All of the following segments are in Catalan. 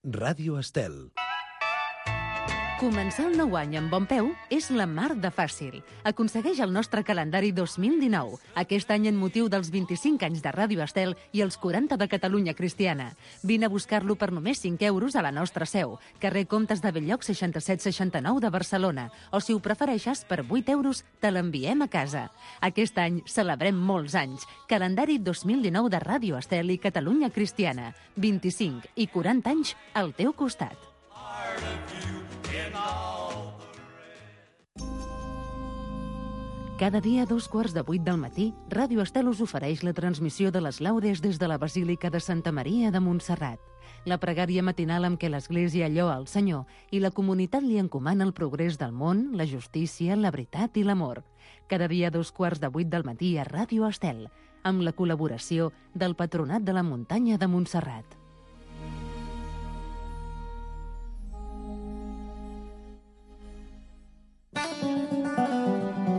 Ràdio Estel. Començar el nou any amb bon peu és la mar de fàcil. Aconsegueix el nostre calendari 2019, aquest any en motiu dels 25 anys de Ràdio Estel i els 40 de Catalunya Cristiana. Vine a buscar-lo per només 5 euros a la nostra seu, carrer Comtes de Bell-lloc 6769 de Barcelona, o si ho prefereixes, per 8 euros te l'enviem a casa. Aquest any celebrem molts anys. Calendari 2019 de Ràdio Estel i Catalunya Cristiana. 25 i 40 anys al teu costat. Cada dia a 2:15 del matí, Ràdio Estel us ofereix la transmissió de les laudes des de la Basílica de Santa Maria de Montserrat. La pregària matinal amb què l'Església lloa el Senyor i la comunitat li encomana el progrés del món, la justícia, la veritat i l'amor. Cada dia a 2:15 del matí a Ràdio Estel, amb la col·laboració del Patronat de la Muntanya de Montserrat.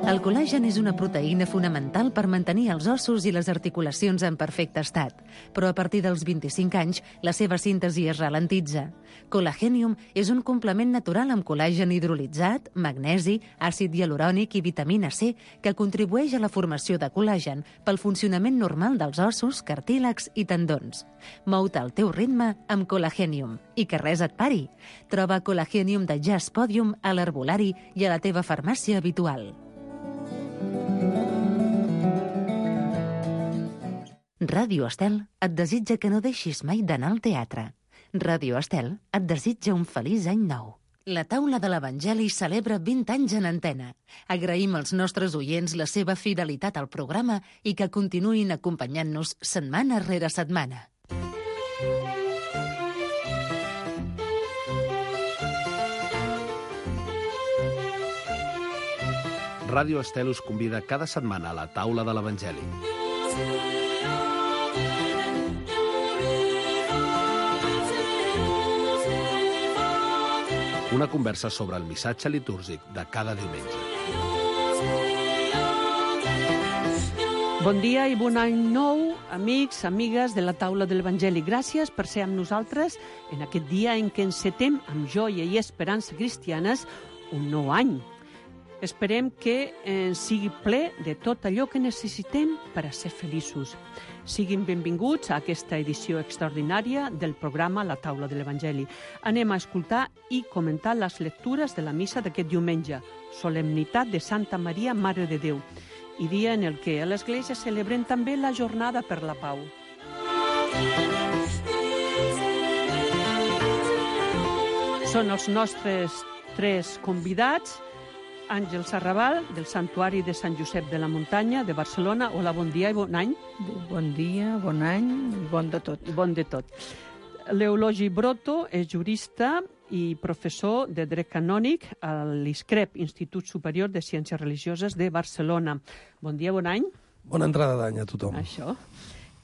El col·làgen és una proteïna fonamental per mantenir els ossos i les articulacions en perfecte estat, però a partir dels 25 anys la seva síntesi es ralentitza. Colagenium és un complement natural amb col·làgen hidrolitzat, magnesi, àcid hialurònic i vitamina C que contribueix a la formació de col·làgen pel funcionament normal dels ossos, cartílags i tendons. Mou-te al teu ritme amb Colagenium i que res et pari. Troba Colagenium de Jazz Podium a l'herbolari i a la teva farmàcia habitual. Ràdio Estel et desitja que no deixis mai d'anar al teatre. Ràdio Estel et desitja un feliç any nou. La taula de l'Evangeli celebra 20 anys en antena. Agraïm als nostres oients la seva fidelitat al programa i que continuïn acompanyant-nos setmana rere setmana. Ràdio Estel us convida cada setmana a la taula de l'Evangeli. Una conversa sobre el missatge litúrgic de cada diumenge. Bon dia i bon any nou, amics, amigues de la taula de l'Evangeli. Gràcies per ser amb nosaltres en aquest dia en què encetem amb joia i esperança cristianes un nou any. Esperem que sigui ple de tot allò que necessitem per a ser feliços. Siguin benvinguts a aquesta edició extraordinària del programa La Taula de l'Evangeli. Anem a escoltar i comentar les lectures de la missa d'aquest diumenge, Solemnitat de Santa Maria, Mare de Déu, i dia en el que a l'Església celebrem també la Jornada per la Pau. Són els nostres 3 convidats: Àngel Sarrabal, del Santuari de Sant Josep de la Muntanya, de Barcelona. Hola, bon dia i bon any. Bon dia, bon any i bon de tot. Bon de tot. L'Eulogi Broto és jurista i professor de dret canònic a l'ISCREP, Institut Superior de Ciències Religioses de Barcelona. Bon dia, bon any. Bona entrada d'any a tothom. Això.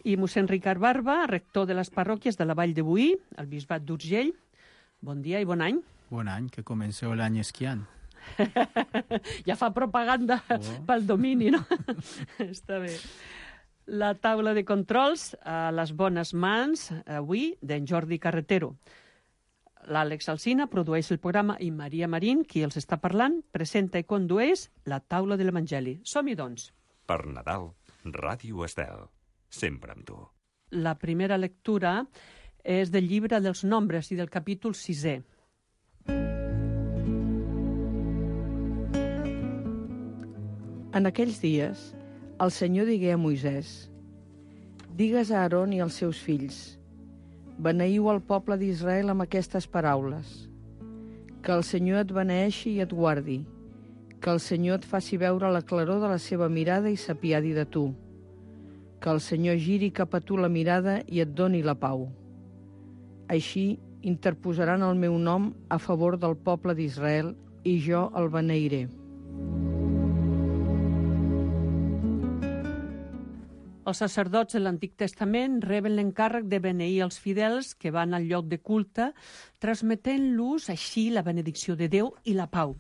I mossèn Ricard Barba, rector de les parròquies de la Vall de Boí, al Bisbat d'Urgell. Bon dia i bon any. Bon any, que comenceu l'any esquiant. Ja fa propaganda pel domini, no? Està bé. La taula de controls a les bones mans, avui, d'en Jordi Carretero. L'Àlex Alsina produeix el programa i Maria Marín, qui els està parlant, presenta i condueix la taula de l'Evangeli. Som-hi, doncs. Per Nadal, Ràdio Estel, sempre amb tu. La primera lectura és del llibre dels Nombres i del capítol 6è. En aquells dies, el Senyor digué a Moisès: digues a Aaron i als seus fills: beneïu el poble d'Israel amb aquestes paraules. Que el Senyor et beneeixi i et guardi. Que el Senyor et faci veure la claror de la seva mirada i s'apiadi de tu. Que el Senyor giri cap a tu la mirada i et doni la pau. Així interposaran el meu nom a favor del poble d'Israel i jo el beneiré. Els sacerdots de l'Antic Testament reben l'encàrrec de beneir els fidels que van al lloc de culte, transmetent-los així la benedicció de Déu i la pau.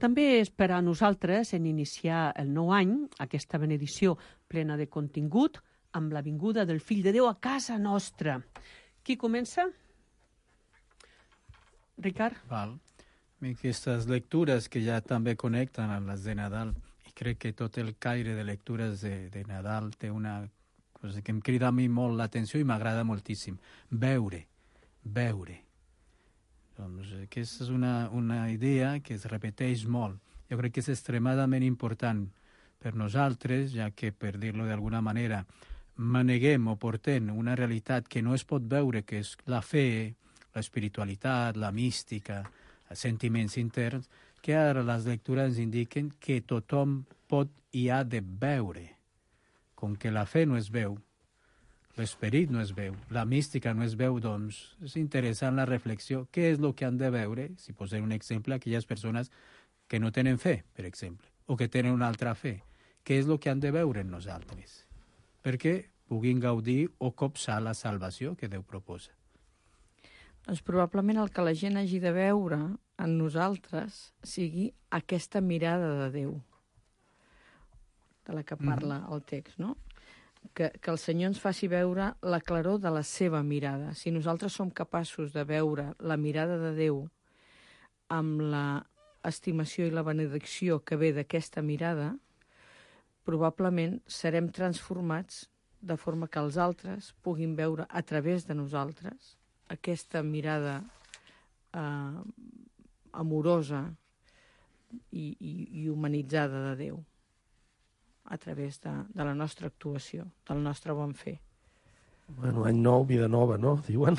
També és per a nosaltres, en iniciar el nou any, aquesta benedicció plena de contingut, amb la vinguda del Fill de Déu a casa nostra. Qui comença? Ricard? Val. Aquestes lectures que ja també connecten amb les de Nadal, i crec que tot el caire de lectures de Nadal té una cosa que em crida a mi molt l'atenció i m'agrada moltíssim. Veure. Doncs aquesta és una idea que es repeteix molt. Jo crec que és extremadament important per nosaltres, ja que, per dir-lo d'alguna manera, maneguem o portem una realitat que no es pot veure, que és la fe, l'espiritualitat, la mística, els sentiments interns, que ara les lectures ens indiquen que tothom pot i ha de veure. Com que la fe no es veu, l'esperit no es veu, la mística no es veu, doncs és interessant la reflexió. Què és el que han de veure? Si posem un exemple, aquelles persones que no tenen fe, per exemple, o que tenen una altra fe. Què és el que han de veure en nosaltres? Perquè puguin gaudir o copsar la salvació que Déu proposa. Doncs probablement el que la gent hagi de veure en nosaltres sigui aquesta mirada de Déu, de la que parla el text, no? Que el Senyor ens faci veure la claror de la seva mirada. Si nosaltres som capaços de veure la mirada de Déu amb la estimació i la benedicció que ve d'aquesta mirada, probablement serem transformats de forma que els altres puguin veure a través de nosaltres aquesta mirada amorosa i humanitzada de Déu a través de la nostra actuació, del nostre bon fer. Bueno, any nou, vida nova, no? Diuen.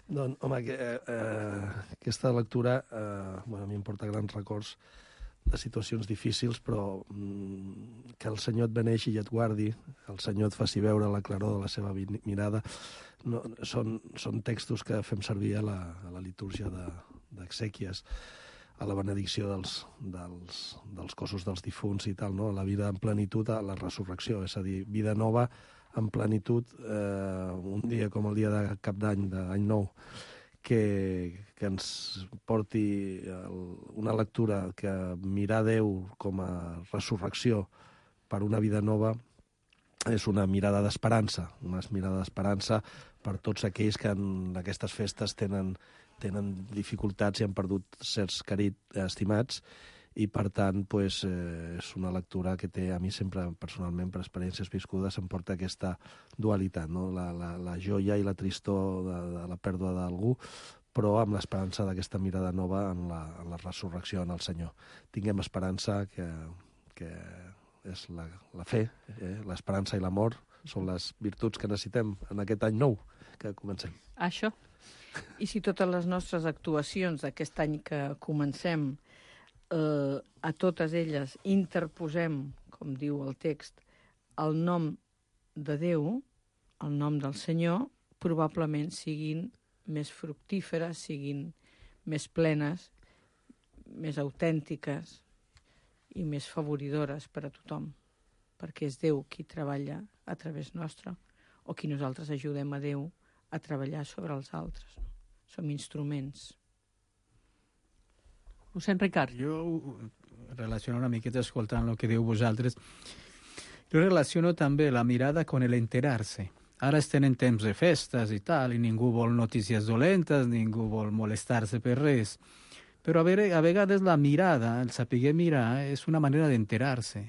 Doncs, home, aquesta lectura a mi em porta grans records de situacions difícils, però que el Senyor et beneixi i et guardi, el Senyor et faci veure la claror de la seva mirada, no, són textos que fem servir a la litúrgia d'exèquies, a la benedicció dels cossos dels difunts i tal, no? La vida en plenitud, a la resurrecció, és a dir, vida nova en plenitud, un dia com el dia de Cap d'Any, d'Any Nou, que ens porti una lectura que mirar Déu com a resurrecció per una vida nova és una mirada d'esperança, per tots aquells que en aquestes festes tenen dificultats i han perdut certs estimats, i per tant és una lectura que té, a mi sempre personalment per experiències viscudes, em porta aquesta dualitat, no? La joia i la tristor de la pèrdua d'algú, però amb l'esperança d'aquesta mirada nova en la resurrecció en el Senyor. Tinguem esperança, que és la fe, l'esperança i l'amor són les virtuts que necessitem en aquest any nou que comencem. Això. I si totes les nostres actuacions d'aquest any que comencem, a totes elles interposem, com diu el text, el nom de Déu, el nom del Senyor, probablement siguin més fructíferes, siguin més plenes, més autèntiques i més favoridores per a tothom, perquè és Déu qui treballa a través nostre, o qui nosaltres ajudem a Déu a treballar sobre els altres. No? Som instruments. Ho sent, Ricard? Jo relaciono una miqueta escoltant el que diu vosaltres. Jo relaciono també la mirada con el enterarse. Ara estem en temps de festes i tal, i ningú vol notícies dolentes, ningú vol molestar-se per res. Però a vegades la mirada, el saber mirar, és una manera d'enterar-se.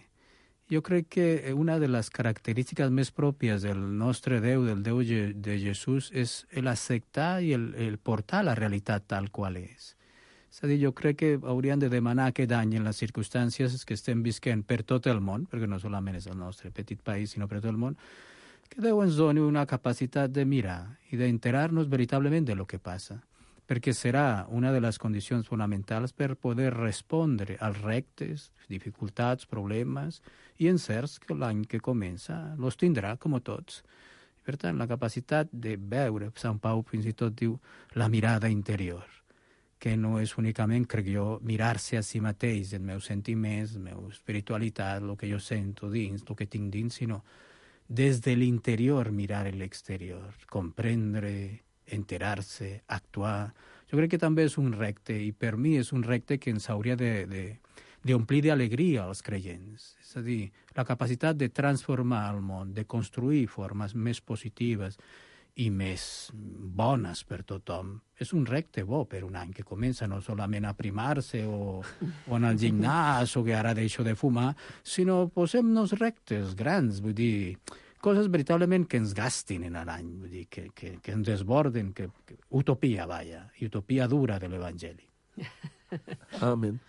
Jo crec que una de les característiques més pròpies del nostre Déu, del Déu de Jesús, és l'acceptar i el portar la realitat tal qual és. És a dir, jo crec que hauríem de demanar aquest any, en les circumstàncies que estem visquent per tot el món, perquè no solament és el nostre petit país, sinó per tot el món, que Déu ens doni una capacitat de mirar i d'enterar-nos veritablement de lo que passa, perquè serà una de les condicions fonamentals per poder respondre als reptes, dificultats, problemes i encerts que l'any que comença los tindrà, com tots. Per tant, la capacitat de veure, Sant Pau fins i tot diu, la mirada interior, que no és únicament, crec jo, mirar-se a si mateix, els meus sentiments, la meva espiritualitat, el que jo sento dins, el que tinc dins, sinó des de l'interior mirar l'exterior, comprendre, enterar-se, actuar. Jo crec que també és un repte, i per mi és un repte que ens hauria d'omplir d'alegria als creients. És a dir, la capacitat de transformar el món, de construir formes més positives i més bones per tothom. És un repte bo per un any que comença no solament a primar-se o anar al gimnàs o que ara deixo de fumar, sinó posem-nos reptes grans, vull dir, coses veritablement que ens gastin en l'any, vull dir, que ens desborden, utopia, vaja, utopia dura de l'Evangeli. Amén.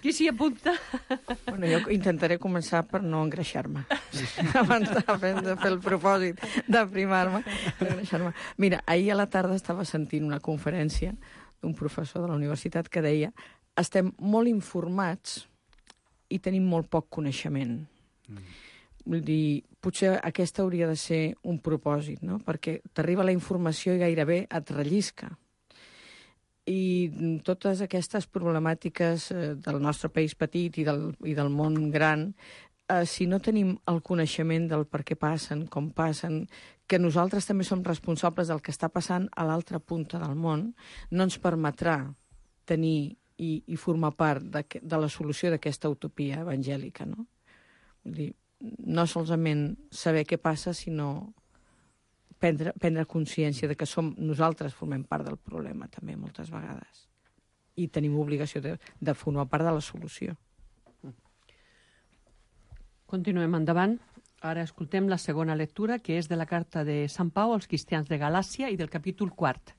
Qui s'hi apunta? Bueno, jo intentaré començar per no engreixar-me. Abans de fer el propòsit d'aprimar-me, d'engreixar-me. Mira, ahir a la tarda estava sentint una conferència d'un professor de la universitat que deia: estem molt informats i tenim molt poc coneixement. Vull dir, potser aquesta hauria de ser un propòsit, no? Perquè t'arriba la informació i gairebé et rellisca. I totes aquestes problemàtiques del nostre país petit i del món gran, si no tenim el coneixement del per què passen, com passen, que nosaltres també som responsables del que està passant a l'altra punta del món, no ens permetrà tenir i formar part de la solució d'aquesta utopia evangèlica, no? Vull dir, no solament saber què passa, sinó prendre consciència de que nosaltres formem part del problema també moltes vegades i tenim obligació de formar part de la solució. Continuem endavant. Ara escoltem la segona lectura, que és de la carta de Sant Pau als cristians de Galàcia i del capítol 4.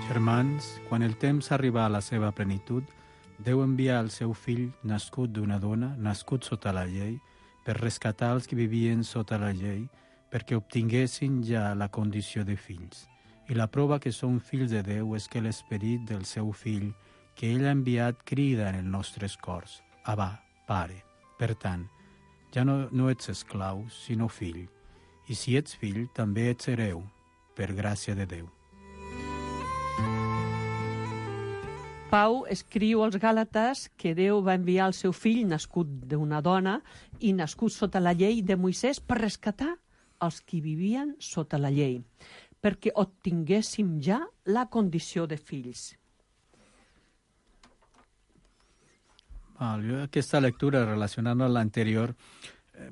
Germans, quan el temps arriba a la seva plenitud, Déu envia el seu fill, nascut d'una dona, nascut sota la llei, per rescatar els que vivien sota la llei, perquè obtinguessin ja la condició de fills. I la prova que són fills de Déu és que l'esperit del seu fill, que ell ha enviat, crida en els nostres cors: Abba, Pare. Per tant, ja no ets esclau, sinó fill. I si ets fill, també ets hereu, per gràcia de Déu. Pau escriu als Gàlates que Déu va enviar el seu fill, nascut d'una dona i nascut sota la llei de Moisès, per rescatar els que vivien sota la llei, perquè obtinguéssim ja la condició de fills. Jo aquesta lectura, relacionant-la amb l'anterior,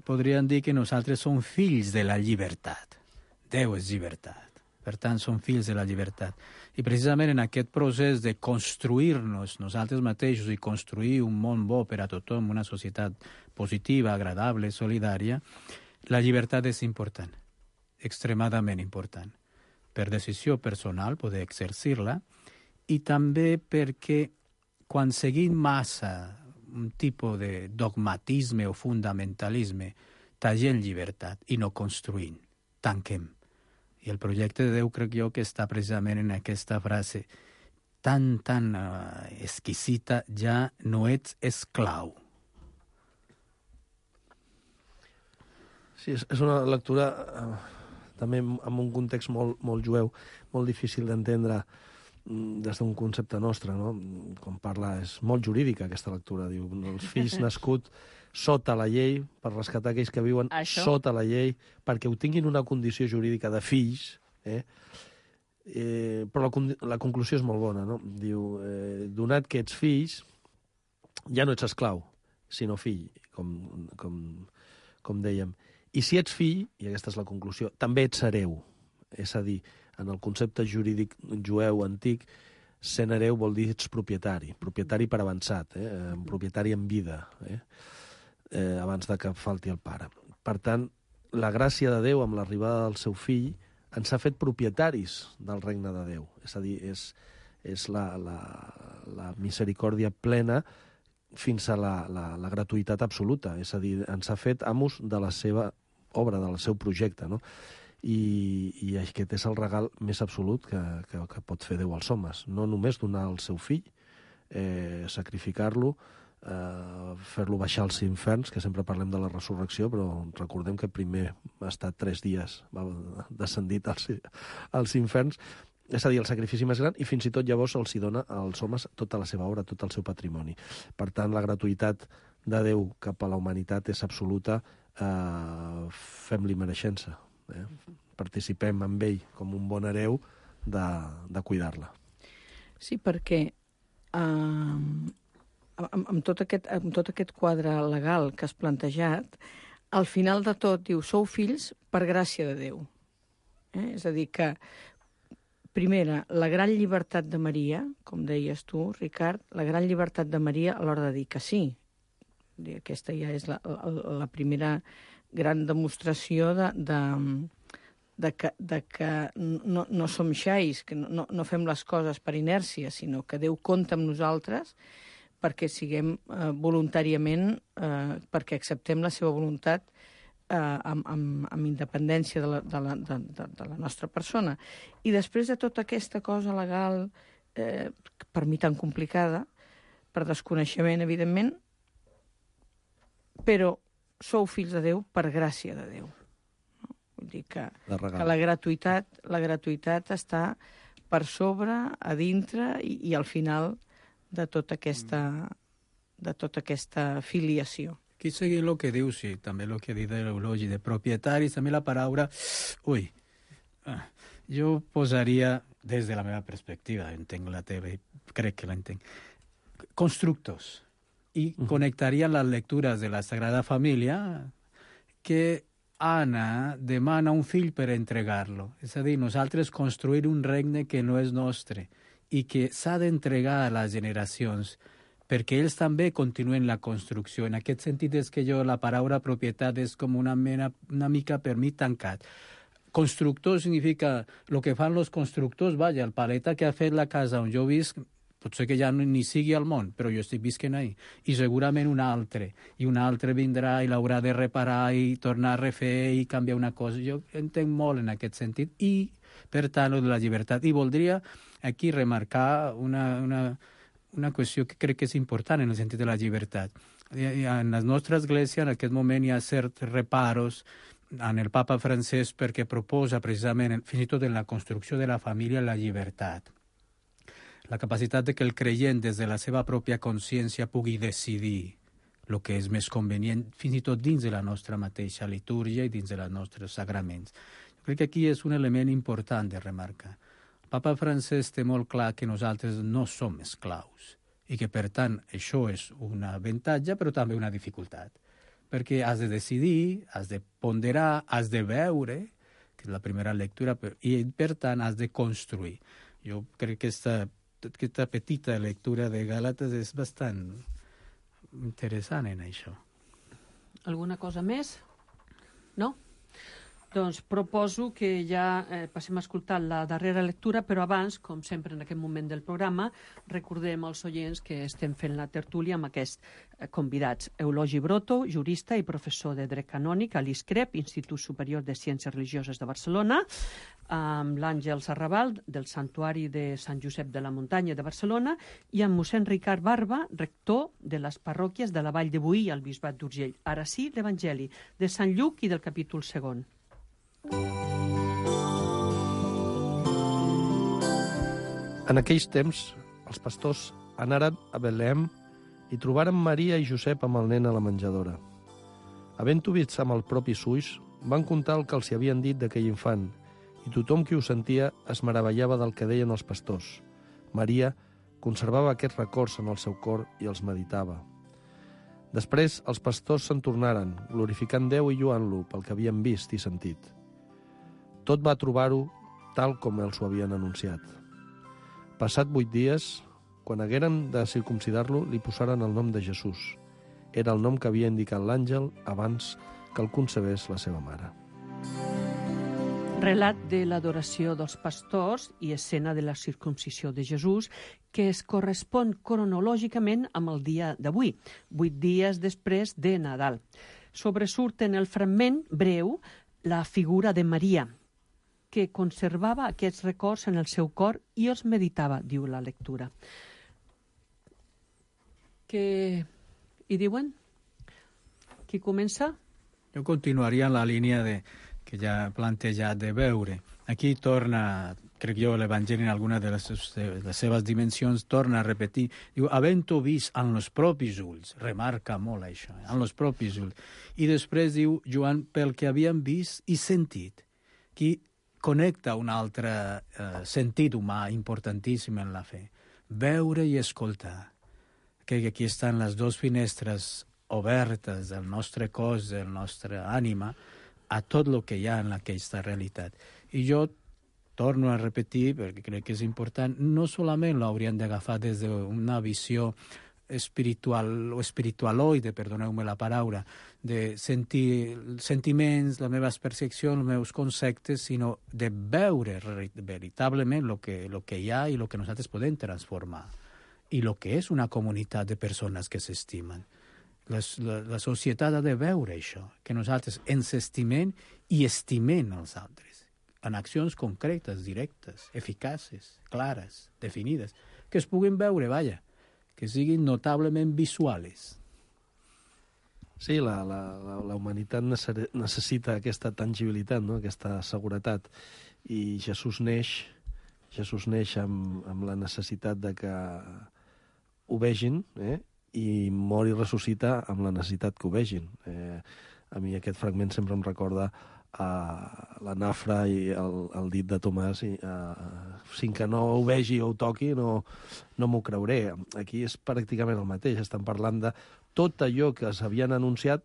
podríem dir que nosaltres som fills de la llibertat. Déu és llibertat. Per tant, som fills de la llibertat. I precisament en aquest procés de construir-nos nosaltres mateixos i construir un món bo per a tothom, una societat positiva, agradable, solidària, la llibertat és important, extremadament important. Per decisió personal, poder exercir-la, i també perquè quan seguim massa un tipus de dogmatisme o fundamentalisme, tallem llibertat i no construïm, tanquem. I el projecte de Déu crec jo que està precisament en aquesta frase tan exquisita: ja no ets esclau. Sí, és una lectura també en un context molt jueu, molt difícil d'entendre des d'un concepte nostre, no? Com parla, és molt jurídica aquesta lectura, diu, els fills nascuts sota la llei, per rescatar aquells que viuen sota la llei, perquè obtinguin una condició jurídica de fills, però la conclusió és molt bona, no? Diu, donat que ets fills, ja no ets esclau, sinó fill, com dèiem. I si ets fill, i aquesta és la conclusió, també ets hereu. És a dir, en el concepte jurídic jueu antic, sent hereu vol dir ets propietari per avançat, propietari en vida, abans de que falti el pare. Per tant, la gràcia de Déu amb l'arribada del seu fill ens ha fet propietaris del regne de Déu. És a dir, és la misericòrdia plena fins a la gratuïtat absoluta. És a dir, ens ha fet amos de la seva obra, del seu projecte, no? I aquest és el regal més absolut que pot fer Déu als homes. No només donar el seu fill, sacrificar-lo, fer-lo baixar als inferns, que sempre parlem de la resurrecció, però recordem que primer ha estat 3 dies, va descendit als inferns. És a dir, el sacrifici més gran, i fins i tot llavors els hi dona als homes tota la seva obra, tot el seu patrimoni. Per tant, la gratuïtat de Déu cap a la humanitat és absoluta. Fem-li mereixença. Participem amb ell com un bon hereu de cuidar-la. Sí, perquè amb tot aquest quadre legal que has plantejat, al final de tot diu, sou fills per gràcia de Déu. És a dir que, primera, la gran llibertat de Maria, com deies tu, Ricard, la gran llibertat de Maria a l'hora de dir que sí. Aquesta ja és la primera gran demostració de que no som xais, que no fem les coses per inèrcia, sinó que Déu compta amb nosaltres perquè siguem voluntàriament, perquè acceptem la seva voluntat amb independència de la nostra persona. I després de tota aquesta cosa legal, per mi tan complicada, per desconeixement, evidentment, però sou fills de Déu per gràcia de Déu. Vull dir que la gratuïtat està per sobre, a dintre i al final de tota aquesta filiació. Aquí seguint el que diu, sí, també el que ha dit l'Eulogi, de propietaris, també la paraula... Jo posaria, des de la meva perspectiva, entenc la teva i crec que l'entenc, constructors, i connectarien les lectures de la Sagrada Família que Anna demana un fill per entregar-lo. És a dir, nosaltres construir un regne que no és nostre i que s'ha d'entregar a les generacions perquè ells també continuen la construcció. En aquest sentit és que la paraula propietat és com una mica per mi tancat. Constructor significa el que fan els constructors, vaja, el paleta que ha fet la casa on jo visc, potser que ja ni sigui al món, però jo estic visquent ahí. I segurament un altre vindrà i l'haurà de reparar i tornar a refer i canviar una cosa. Jo entenc molt en aquest sentit i, per tant, de la llibertat. I voldria aquí remarcar una qüestió que crec que és important en el sentit de la llibertat. En la nostra església en aquest moment hi ha certs reparos en el papa francès perquè proposa precisament, fins i tot en la construcció de la família, la llibertat. La capacitat de que el creient des de la seva pròpia consciència pugui decidir el que és més convenient, fins i tot dins de la nostra mateixa litúrgia i dins dels nostres sagraments. Jo crec que aquí és un element important de remarcar. El papa francès té molt clar que nosaltres no som esclaus i que, per tant, això és un avantatge, però també una dificultat. Perquè has de decidir, has de ponderar, has de veure, que és la primera lectura, i, per tant, has de construir. Jo crec que aquesta petita lectura de Gàlates és bastant interessant en això. Alguna cosa més? No? Doncs proposo que ja passem a escoltar la darrera lectura, però abans, com sempre en aquest moment del programa, recordem als oients que estem fent la tertúlia amb aquests convidats. Eulogi Broto, jurista i professor de dret canònic a l'ISCREP, Institut Superior de Ciències Religioses de Barcelona, amb l'Àngel Sarrabal, del Santuari de Sant Josep de la Muntanya de Barcelona, i amb mossèn Ricard Barba, rector de les parròquies de la Vall de Boí al Bisbat d'Urgell. Ara sí, l'Evangeli de Sant Lluc i del capítol 2. En aquells temps, els pastors anaren a Belém i trobaren Maria i Josep amb el nen a la menjadora. Havent-ho vist amb els propis ulls, van contar el que els havien dit d'aquell infant, i tothom qui ho sentia es meravellava del que deien els pastors. Maria conservava aquests records en el seu cor i els meditava. Després, els pastors se'n tornaren, glorificant Déu i lloant-lo pel que havien vist i sentit. Tot va trobar-ho tal com els ho havien anunciat. Passat 8 dies, quan hagueren de circumcidar-lo, li posaren el nom de Jesús. Era el nom que havia indicat l'àngel abans que el concebés la seva mare. Relat de l'adoració dels pastors i escena de la circumcisió de Jesús, que es correspon cronològicament amb el dia d'avui, 8 dies després de Nadal. Sobresurt en el fragment breu la figura de Maria, que conservava aquests records en el seu cor i els meditava, diu la lectura. Què hi diuen? Qui comença? Jo continuaria en la línia que ja he plantejat de veure. Aquí torna, crec jo, l'Evangeli en alguna de les seves dimensions, torna a repetir. Diu, havent-ho vist en els propis ulls, remarca molt això, en els propis ulls. I després diu, Joan, pel que havien vist i sentit, qui connecta un altre sentit humà importantíssim en la fe. Veure i escoltar. que aquí estan les dues finestres obertes del nostre cos, del nostre ànima, a tot el que hi ha en aquesta realitat. I jo torno a repetir, perquè crec que és important, no solament l'hauríem d'agafar des d'una visió espiritual o espiritualoide, perdoneu-me la paraula, de sentir sentiments, les meves percepcions, els meus conceptes, sinó de veure veritablement el que hi ha i el que nosaltres podem transformar i el que és una comunitat de persones que s'estimen. La societat ha de veure això, que nosaltres ens estimem i estimem els altres, en accions concretes, directes, eficaces, clares, definides, que es puguin veure, vaja, que siguin notablement visuals. Sí, la humanitat necessita aquesta tangibilitat, no? Aquesta seguretat. I Jesús neix amb la necessitat de que ho vegin, i mor i ressuscita amb la necessitat que ho vegin. A mi aquest fragment sempre em recorda la nafra i el dit de Tomàs, i sin que no ho vegi o ho toqui no m'ho creuré. Aquí és pràcticament el mateix, estan parlant de tot allò que s'havien anunciat,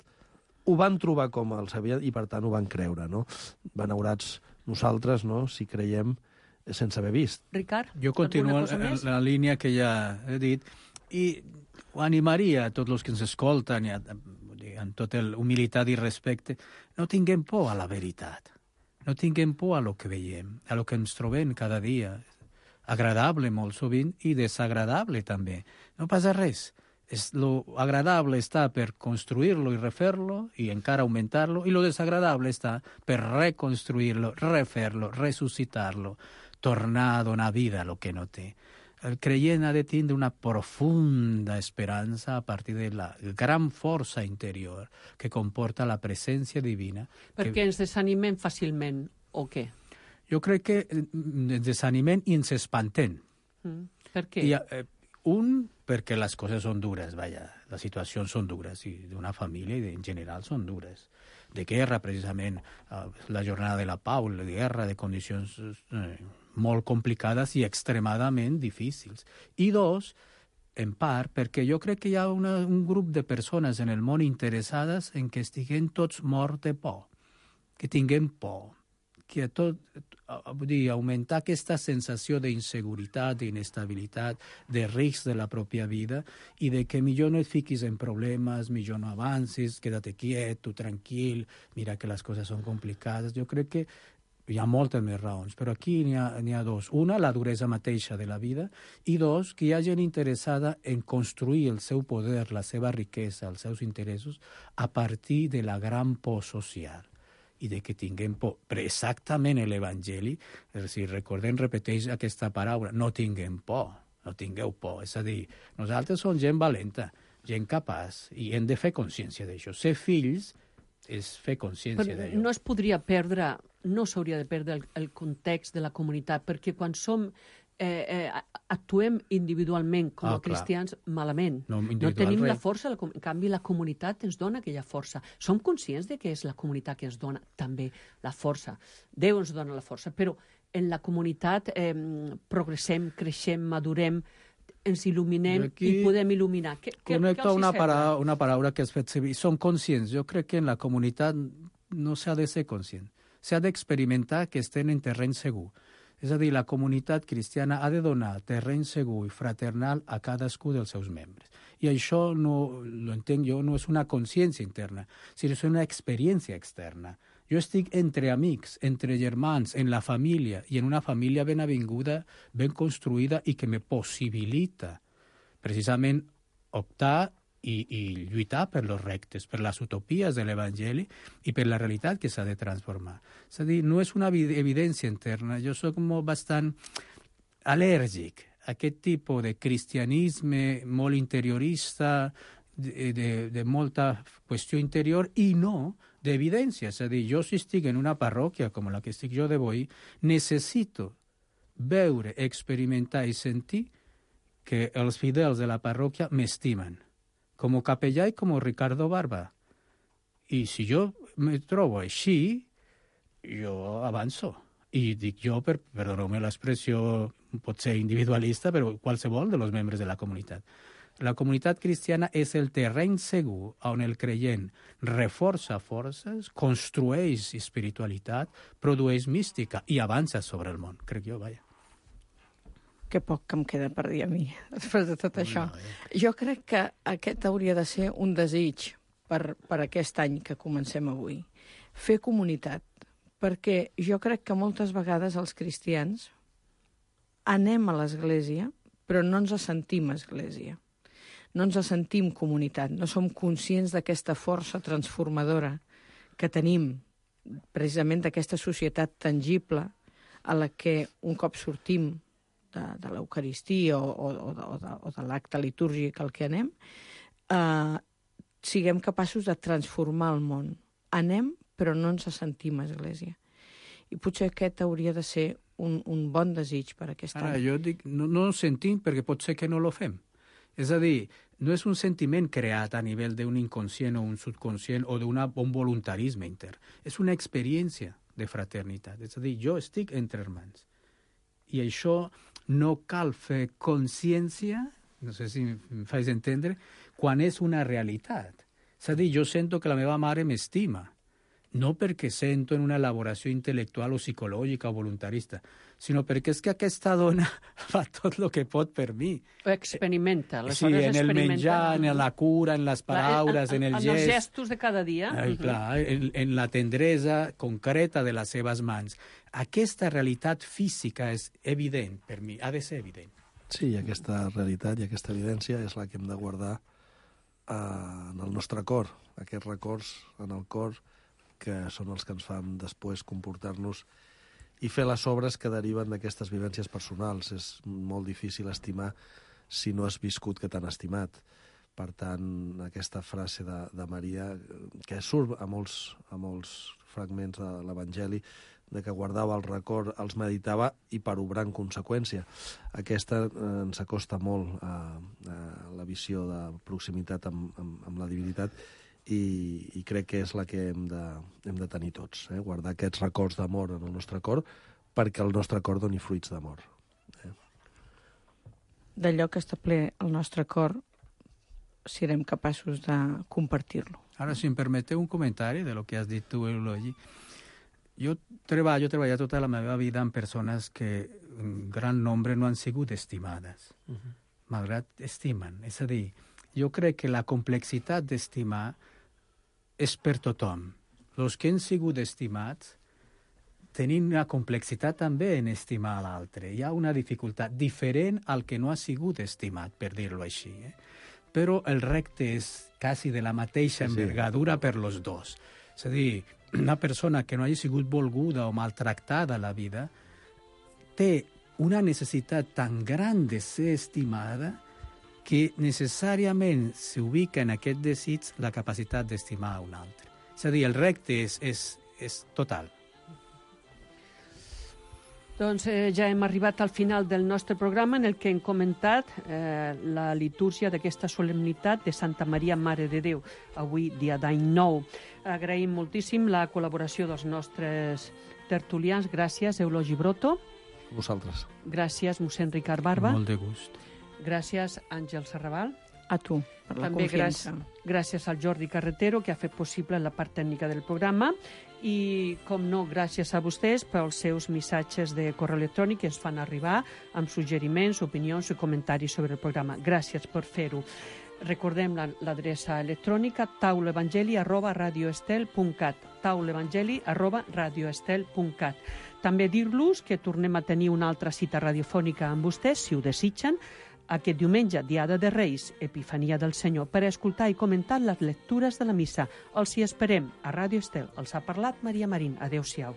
ho van trobar com els havien i per tant ho van creure, no? Benaurats nosaltres, no?, si creiem sense haver vist. Ricard, jo continuo en la línia que ja he dit i ho animaria a tots els que ens escolten i amb tota humilitat i respecte, no tinguem por a la veritat, no tinguem por a lo que veiem, a lo que ens trobem cada dia, agradable molt sovint i desagradable també. No passa res. Lo agradable està per construir-lo i refer-lo i encara augmentar-lo, i lo desagradable està per reconstruir-lo, refer-lo, ressuscitar-lo, tornar a donar vida a lo que no té. El creient ha de tindre una profunda esperança a partir de la gran força interior que comporta la presència divina. Perquè ens desanimem fàcilment, o què? Jo crec que ens desanimem i ens espantem. Per què? Perquè les coses són dures, vaja, les situacions són dures, i d'una família i en general són dures. De guerra, precisament, la jornada de la pau, la guerra de condicions molt complicades i extremadament difícils. I dos, en part, perquè jo crec que hi ha un grup de persones en el món interessades en que estiguem tots morts de por, que tinguem por, que augmentar aquesta sensació d'inseguretat, d'inestabilitat, de risc de la pròpia vida i de que millor no et fiquis en problemes, millor no avancis, quédate quiet, tu tranquil, mira que les coses són complicades. Jo crec que hi ha moltes més raons, però aquí n'hi ha dos. Una, la duresa mateixa de la vida, i dos, que hi ha gent interessada en construir el seu poder, la seva riquesa, els seus interessos, a partir de la gran por social i de que tinguem por. Però exactament l'Evangeli, si recordem, repeteix aquesta paraula, no tinguem por, no tingueu por. És a dir, nosaltres som gent valenta, gent capaç, i hem de fer consciència d'això. Ser fills és fer consciència d'allò. No es podria perdre, no s'hauria de perdre el context de la comunitat, perquè quan som actuem individualment com a cristians malament. No tenim la força, en canvi la comunitat ens dona aquella força. Som conscients de que és la comunitat que ens dona també la força. Déu ens dona la força, però en la comunitat progressem, creixem, madurem, ens il·luminem i podem il·luminar. Connecto una paraula que has fet servir. Som conscients. Jo crec que en la comunitat no s'ha de ser conscient. S'ha d'experimentar que estem en terreny segur. És a dir, la comunitat cristiana ha de donar terreny segur i fraternal a cadascú dels seus membres. I això, no lo entenc jo, no és una consciència interna, sinó és una experiència externa. Jo estic entre amics, entre germans, en la família, i en una família ben avinguda, ben construïda i que me possibilita precisament optar i lluitar per los rectes, per les utopies de l'Evangeli i per la realitat que s'ha de transformar. És a dir, no és una evidència interna. Jo soc bastant al·lèrgic a aquest tipus de cristianisme molt interiorista, de molta qüestió interior i no d'evidència. És a dir, jo si estic en una parròquia com la que estic jo d'avui, necessito veure, experimentar i sentir que els fidels de la parròquia m'estimen, com capellà i com Ricardo Barba. I si jo me trobo així, jo avanço. I dic jo, perdoneu-me l'expressió, pot ser individualista, però qualsevol dels membres de la comunitat. La comunitat cristiana és el terreny segur on el creient reforça forces, construeix espiritualitat, produeix mística i avança sobre el món, crec jo, vaja. Que poc que em queda per dir a mi, després de tot això. Jo crec que aquest hauria de ser un desig per aquest any que comencem avui. Fer comunitat, perquè jo crec que moltes vegades els cristians anem a l'església, però no ens sentim església. No ens sentim comunitat, no som conscients d'aquesta força transformadora que tenim, precisament d'aquesta societat tangible a la que un cop sortim de l'Eucaristia o de l'acte litúrgic al que anem, siguem capaços de transformar el món. Anem, però no ens sentim església. I potser aquest hauria de ser un bon desig per aquest any. Ara, jo dic, no ens sentim perquè pot ser que no lo fem. És a dir, no és un sentiment creat a nivell d'un inconscient o un subconscient o d'un voluntarisme intern. És una experiència de fraternitat. És a dir, jo estic entre hermans. I això no cal fer consciència, no sé si em faig entendre, quan és una realitat. És a dir, jo sento que la meva mare m'estima, no perquè sento en una elaboració intel·lectual o psicològica o voluntarista, sinó perquè és que aquesta dona fa tot el que pot per mi. Ho experimenta. Sí, en el menjar, en la cura, en les paraules, en el gest. En els gestos de cada dia. Clar, en la tendresa concreta de les seves mans. Aquesta realitat física és evident per mi, ha de ser evident. Sí, aquesta realitat i aquesta evidència és la que hem de guardar en el nostre cor, aquests records en el cor que són els que ens fan després comportar-nos i fer les obres que deriven d'aquestes vivències personals. És molt difícil estimar si no has viscut que t'han estimat. Per tant, aquesta frase de Maria, que surt a molts fragments de l'Evangeli, de que guardava el record, els meditava i per obrar en conseqüència. Aquesta ens acosta molt a la visió de proximitat amb la divinitat i crec que és la que hem de tenir tots, guardar aquests records d'amor en el nostre cor perquè el nostre cor doni fruits d'amor. D'allò que està ple el nostre cor, serem capaços de compartir-lo. Ara, si em permeteu un comentari de lo que has dit tu, Eulogi. Jo treballo tota la meva vida amb persones que en gran nombre no han sigut estimades, malgrat estimen. És a dir, jo crec que la complexitat d'estimar és per tothom. Els que han sigut estimats tenim una complexitat també en estimar l'altre. Hi ha una dificultat diferent al que no ha sigut estimat, per dir-ho així. Però el repte és quasi de la mateixa envergadura per los dos. És a dir, una persona que no hagi sigut volguda o maltractada a la vida té una necessitat tan gran de ser estimada que necessàriament s'ubica en aquest desig la capacitat d'estimar a un altre. És a dir, el repte és total. Doncs ja hem arribat al final del nostre programa en el que hem comentat la litúrgia d'aquesta solemnitat de Santa Maria, Mare de Déu, avui dia d'any nou. Agraïm moltíssim la col·laboració dels nostres tertulians. Gràcies, Eulogi Broto. Vosaltres. Gràcies, mossèn Ricard Barba. Molt de gust. Gràcies, Àngel Serraval. A tu, per la confiança. Gràcies al Jordi Carretero, que ha fet possible la part tècnica del programa. I, com no, gràcies a vostès pels seus missatges de correu electrònic que ens fan arribar amb suggeriments, opinions i comentaris sobre el programa. Gràcies per fer-ho. Recordem l'adreça electrònica taulevangeli@radioestel.cat taulevangeli@radioestel.cat. També dir-los que tornem a tenir una altra cita radiofònica amb vostès, si ho desitgen, aquest diumenge, Diada de Reis, Epifania del Senyor, per escoltar i comentar les lectures de la missa. Els hi esperem a Ràdio Estel. Els ha parlat Maria Marín. Adéu-siau.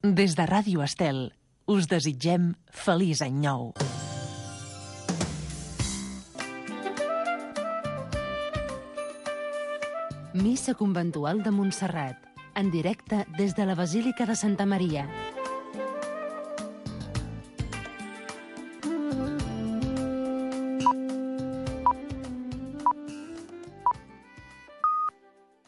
Des de Ràdio Estel us desitgem feliç any nou. Missa conventual de Montserrat, en directe des de la Basílica de Santa Maria.